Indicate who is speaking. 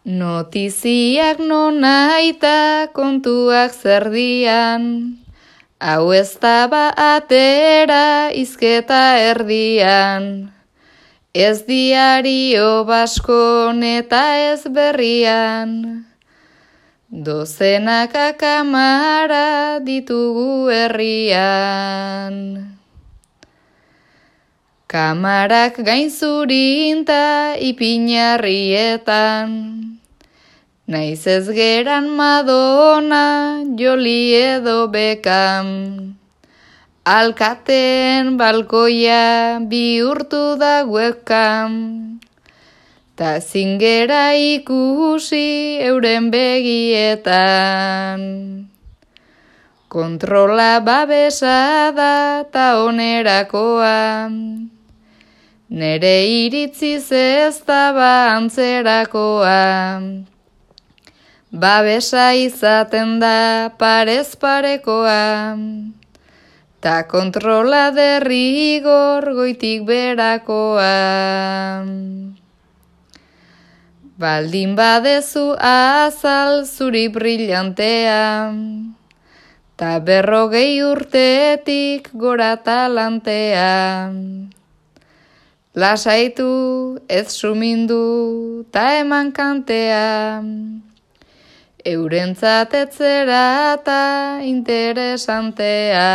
Speaker 1: Notiziak nonaita kontuak zerdian, hau ez da ba atera izketa erdian. Ez diario baskon eta ez berrian, dozenaka kamara ditugu herrian. Kamarak gainzurinta ipinarrietan, naiz ez geran Madonna, Joli edo Beckham. Alkateen balkoia bihurtu da webcam, ta zingera ikusi euren begietan. Kontrola babesa da ta onerakoa, nere iritziz ez da ba antzerakoa. Babesa izaten da parez parekoa, ta kontrola derrigor goitik berakoa. Baldin badezu azal zuri brillantea, ta 40 urtetik gora talantea. Lasaitu, ez sumindu, ta eman kantea, eurentzat etzera ta interesantea.